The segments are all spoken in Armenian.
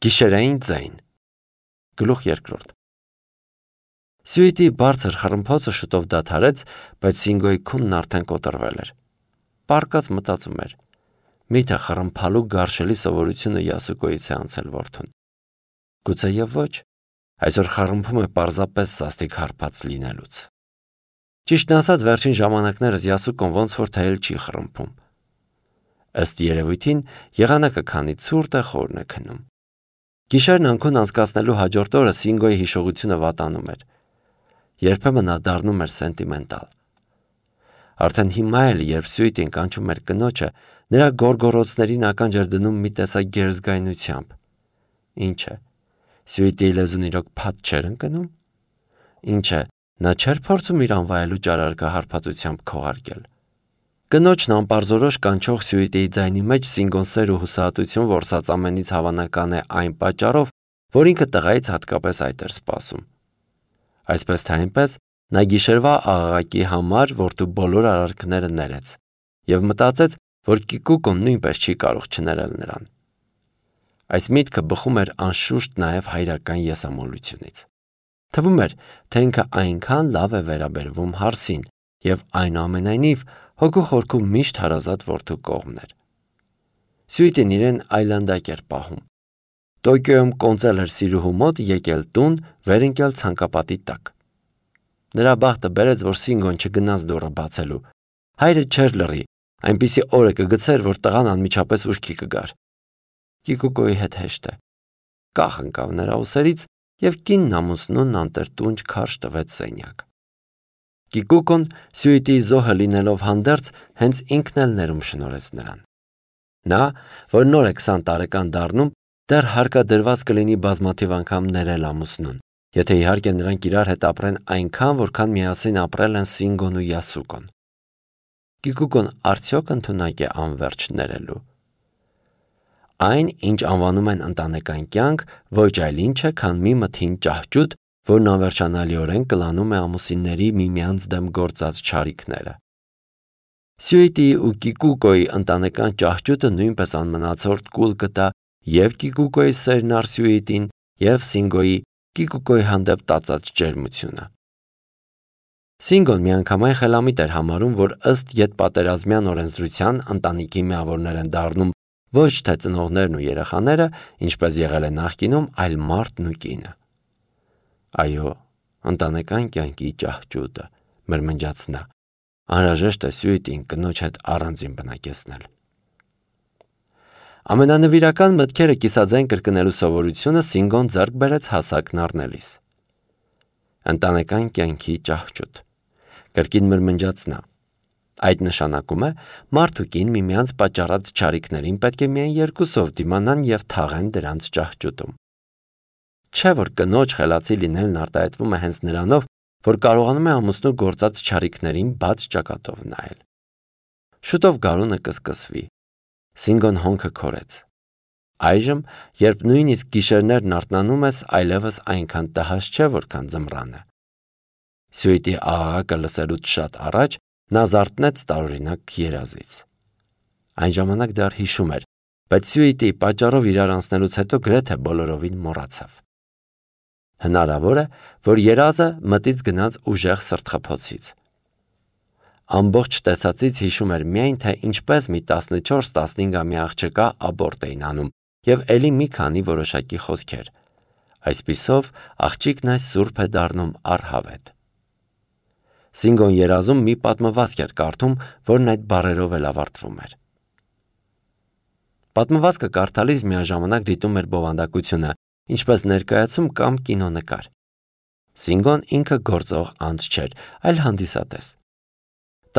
Գիշերային ձայն։ Գլուխ 2։ Սյուիտի բարձր խռմփոցը շուտով դադարեց, բայց Սինգոյի քունն արդեն կոտրվել էր։ Պառկած մտածում էր. միթե խռմփալու գարշելի սովորությունը Յասուկոյից է անցել որդուն։ Գուցեև ոչ, այսօր խռմփում է պարզապես սաստիկ հարբած լինելուց։ Ճիշտն ասած, վերջին ժամանակներս Յասուկոն ոնց որ թե էլ չի խռմփում։ Ըստ երևույթին եղանակը քանի ցուրտ է, խորն է քնում։ Գիշերն անքուն անցկացնելու հաջորդ օրը Սինգոյի հիշողությունը վատանում էր։ Երբեմն նա դառնում էր սենտիմենտալ։ Արդեն հիմա էլ, երբ Սյուիտին կանչում էր կնոջը, նրա գոռգոռոցներին ականջ էր դնում մի տեսակ գերզգայնությամբ։ Ինչ է, Սյուիտի լեզուն իրոք փաթ չէր ընկնում։ Ինչ է, նա չէր փորձում իր անվայելուչ արարքը հարբածությամբ քողարկել։ Կնոջն անպարզորոշ կանչող Սյուիտիի ձայնի մեջ Սինգոն սեր ու հուսահատություն որսած ամենից հավանական է այն պատճառով, որ ինքը տղայից հատկապես այդ էր սպասում։ Այսպես թե այնպես, նա գիշերվա աղաղակի համար որդու բոլոր արարքները ներեց և մտածեց, որ Կիկուկոն նույնպես չի կարող չներել նրան։ Այս միտքը բխում էր անշուշտ նաև հայրական եսամոլությունից։ Թվում էր, թե ինքը այնքան լավ է վերաբերվում հարսին և այնուամենայնիվ հոգու խորքում միշտ հարազատ որդու կողմն էր։ Սյուիտին իրեն այլանդակ էր պահում։ Տոկիոյում կոնծել էր սիրուհու մոտ, եկել տուն, վեր ընկել ցանկապատի տակ։ Նրա բախտը բերեց, որ Սինգոն չգնաց դուռը բացելու։ Հայրը չէր լռի, այնպիսի օրը կգցեր, որ տղան անմիջապես ուշքի կգար։ Կիկուկոյի հետ հեշտ է։ Կախ ընկավ նրա ուսերից և կինն ամուսնուն անտրտունջ քարշ տվեց սենյակ։ Կիկուկոն Սյուիտիի զոհը լինելով հանդերձ, հենց ինքն էլ ներում շնորհեց նրան։ Նա, որ նոր է 20 տարեկան դառնում, դեռ հարկադրված կլինի բազմաթիվ անգամ ներել ամուսնուն, եթե իհարկե նրանք իրար հետ ապրեն այնքան, որքան միասին ապրել են Սինգոն ու Յասուկոն։ Կիկուկոն արդյոք ընդունակ է անվերջ ներելու։ Այն, ինչ անվանում են ընտանեկան կյանք, ոչ այլ ինչ է, քան մի մթին ճահճուտ, որն անվերջանալիորեն կլանում է ամուսինների միմյանց դեմ գործած չարիքները։ Սյուիտիի ու Կիկուկոյի ընտանեկան ճահճուտը նույնպես անմնացորդ կուլ կտա և Կիկուկոյի սերն առ Սյուիտին, և Սինգոյի Կիկուկոյի հանդեպ տածած ջերմությունը։ Սինգոն միանգամայն խելամիտ էր համարում, որ ըստ ետպատերազմյան օրենսդրության ընտանիքի միավորներ են դառնում ոչ թե ծնողներն ու երեխաները, ինչպես եղել է նախկինում, այլ մարդն ու կինը։ Այո, ընտանեկան կյանքի ճահճուտը, մրմնջաց նա, անհրաժեշտ է Սյուիտին կնոջ հետ առանձին բնակեցնել։ Ամենանվիրական մտքերը կիսաձայն կրկնելու սովորությունը Սինգոն ձեռք բերեց հասակն առնելիս։ Ընտանեկան կյանքի ճահճուտ, կրկին մրմնջաց նա։ Այդ նշանակում է, մարդ ու կին միմյանց պատճառած չարիքներին պետք է միայն երկուսով դիմանան և թաղեն դրանց ճահճուտում։ Չէ՞ որ կնոջ խելացի լինելն արտահայտվում է հենց նրանով, որ կարողանում է ամուսնու գործած չարիքներին բաց ճակատով նայել։ Շուտով գարունը կսկսվի։ Սինգոն հոնքը քորեց։ Այժմ, երբ նույնիսկ գիշերներն արթնանում ես, այլևս այնքան տհաճ չէ, որքան ձմռանը։ Սյուիտի աղաղակը լսելուց շատ առաջ նա զարթնեց տարօրինակ երազից։ Այն ժամանակ դեռ հիշում էր, բայց Սյուիտիի պատճառով իրար անցնելուց հետո գրեթե բոլորովին մոռացավ։ Հնարավոր է, որ երազը մտից գնաց ուժեղ սրտխփոցից։ Ամբողջ տեսածից հիշում էր միայն, թե ինչպես մի 14-15-ամյա աղջկա աբորտ էին անում և էլի մի քանի որոշակի խոսքեր։ Այսպիսով աղջիկն այս սուրբ է դառնում առհավետ։ Սինգոն երազում մի պատմվածք էր կարդում, որն այդ բառերով էլ ավարտվում էր։ Պատմվածքը կարդալիս միաժամանակ դիտում էր բովանդակությունը, ինչպես ներկայացում կամ կինոնկար։ Սինգոն ինքը գործող անձ չէր, այլ հանդիսատես։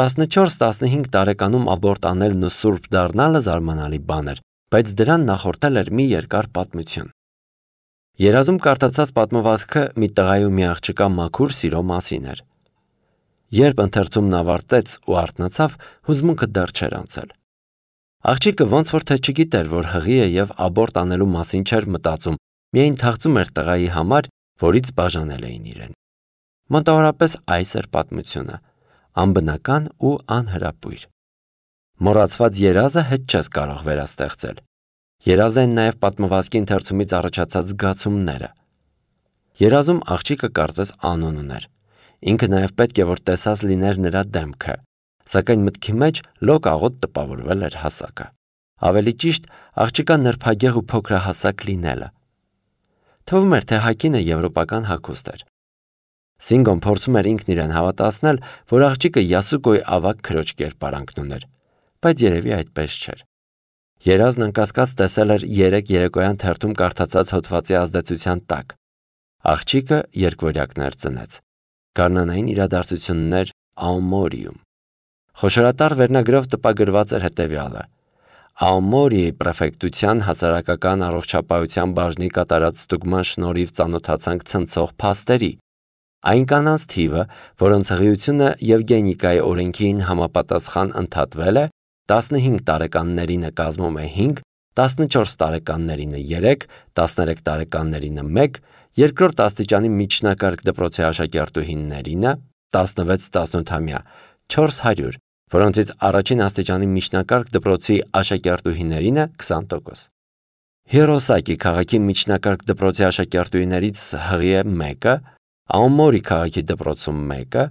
14-15 տարեկանում աբորտ անելն ու սուրբ դառնալը զարմանալի բան էր, բայց դրան նախորդել էր մի երկար պատմություն։ Երազում կարդացած պատմվածքը մի տղայի ու մի աղջկա մաքուր սիրո մասին էր։ Երբ ընթերցումն ավարտեց ու արթնացավ, հուզմունքը դեռ չէր անցել։ Աղջիկը ոնց որ թե չգիտեր, որ հղի է և աբորտ անելու մասին չէր մտածում, միայն թախծում էր տղայի համար, որից բաժանել էին իրեն։ Մոտավորապես այս էր պատմությունը, անբնական ու անհրապույր։ Մոռացված երազը հետ չես կարող վերաստեղծել։ Երազ են նաև պատմվածքի ընթերցումից առաջացած զգացումները։ Երազում աղջիկը կարծես անուն ուներ։ Ինքը նաև պետք է որ տեսած լիներ նրա դեմքը, սակայն մտքի մեջ լոկ աղոտ տպավորվել էր հասակը։ Ավելի ճիշտ, աղջկա նրբագեղ ու փոքրահասակ լինելը։ Թվում էր, թե հագինը եվրոպական հագուստ էր։ Սինգոն փորձում էր ինքն իրեն հավատացնել, որ աղջիկը Յասուկոյի ավագ քրոջ կերպարանքն ուներ, բայց երևի այդպես չէր։ Երազն անկասկած տեսել էր 3 երեկոյան թերթում կարդացած հոդվածի ազդեցության տակ։ Աղջիկը երկվորյակներ ծնեց։ Գարնանային իրադարձություններ Աոմորիում։ Խոշորատար վերնագրով տպագրված էր հետևյալը. Աոմորիի պրեֆեկտության հասարակական առողջապահության բաժնի կատարած ստուգման շնորհիվ ծանոթացանք ցնցող փաստերի։ Այն կանանց թիվը, որոնց հղիությունը Եվգենիկայի օրենքին համապատասխան ընդհատվել է, 15 տարեկաններինը կազմում է 5, 14 տարեկաններինը 3, 13 տարեկաններինը 1, երկրորդ աստիճանի միջնակարգ դպրոցի աշակերտուհիներինը 16-18-ամյա 400, որոնցից առաջին աստիճանի միջնակարգ դպրոցի աշակերտուհիներինը 20%։ Հիրոսակի քաղաքի միջնակարգ դպրոցի աշակերտուհիներից հղի է 1-ը, Աոմորի քաղաքի դպրոցում 1-ը,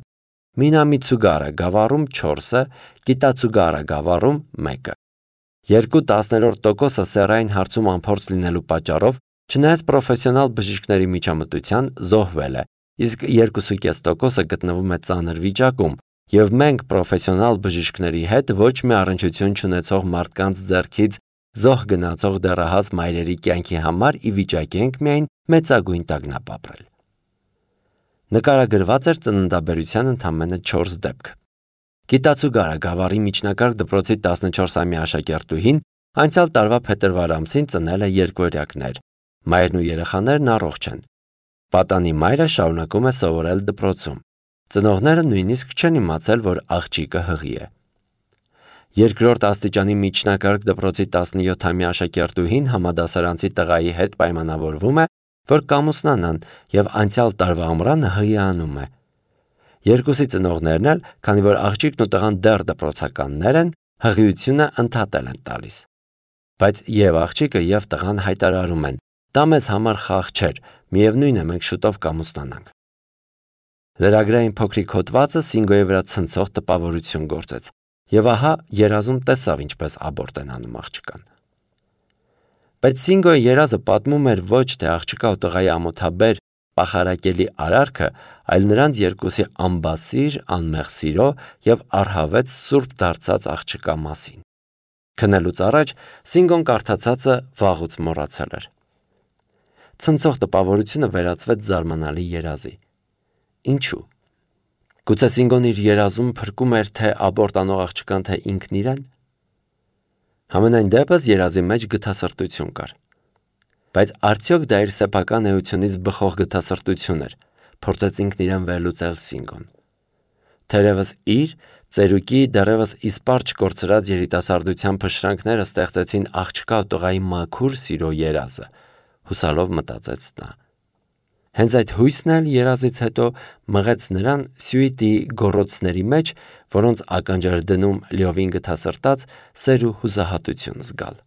Մինամիցուգարա գավառում 4-ը, Կիտացուգարա գավառում 1-ը։ 2/10% սեռային հարցում անփորձ լինելու պատճառով, չնայած պրոֆեսիոնալ բժիշկների միջամտության, զոհվել է, իսկ 2.5% գտնվում է ծանր վիճակում, եւ մենք պրոֆեսիոնալ բժիշկների հետ ոչ մի առնչություն չունեցող մարդկանց ձեռքից զոհ գնացող դեռահաս մայրերի կյանքի համար ի վիճակի ենք միայն մեծագույն տագնապ ապրել։ Նկարագրված էր ծննդաբերության ընդամենը 4 դեպք։ Կիտացուգարա գավառի միջնակարգ դպրոցի 14-ամյա աշակերտուհին անցյալ տարվա փետրվար ամսին ծնել է երկվորյակներ։ Մայրն ու երեխաներն առողջ են։ Պատանի մայրը շարունակում է սովորել դպրոցում։ Ծնողները նույնիսկ չեն իմացել, որ աղջիկը հղի է։ Երկրորդ աստիճանի միջնակարգ դպրոցի 17-ամյա աշակերտուհին համադասարանցի տղայի հետ պայմանավորվում է, որ կամուսնանան եւ անցյալ տարվա ամռանը հղիանում է։ Երկուսի ծնողներն էլ, քանի որ աղջիկն ու տղան դեռ դպրոցականներ են, հղիությունը ընդհատել են տալիս։ Բայց եւ աղջիկը եւ տղան հայտարարում են. դա մեզ համար խաղ չէր, միևնույն է մենք շուտով կամուսնանանք։ Լրագրային փոքրիկ հոդվածը Սինգոյի վրա ցնցող տպավորություն գործեց, եւ ահա երազում տեսավ ինչպես աբորտ են անում աղջկան։ Բայց Սինգոյի երազը պատմում էր ոչ թե աղջկա ու տղայի ամոթաբեր պախարակելի արարքը, այլ նրանց երկուսի ամբասիր, անմեղ սիրո եւ առհավետ սուրբ դարձած աղջկա մասին։ Քնելուց առաջ Սինգոն կարդացածը վաղուց մոռացել էր։ Ցնցող տպավորությունը վերածվեց զարմանալի երազի։ Ինչու՞։ Գուցե Սինգոն իր երազում փրկում էր թե աբորտ անող աղջկան, թե ինքն իրեն։ Համենայն դեպս երազի մեջ գթասրտություն կար։ Բայց արդյոք դա իր սեփական էությունից բխող գթասրտություն էր, փորձեց ինքն իրեն վերլուծել Սինգոն։ Թերևս իր ծերուկի դեռևս իսպառ չկորցրած երիտասարդության փշրանքները ստեղծեցին աղջկա ու տղայի մաքուր սիրո երազը, հուսալով մտածեց նա։ Հենց այդ հույսն էլ երազից հետո մղեց նրան սյուիտի գոռոցների մեջ, որոնց ականջ էր դնում լիովին գթասրտած սեր ու հուսահատություն զգալ։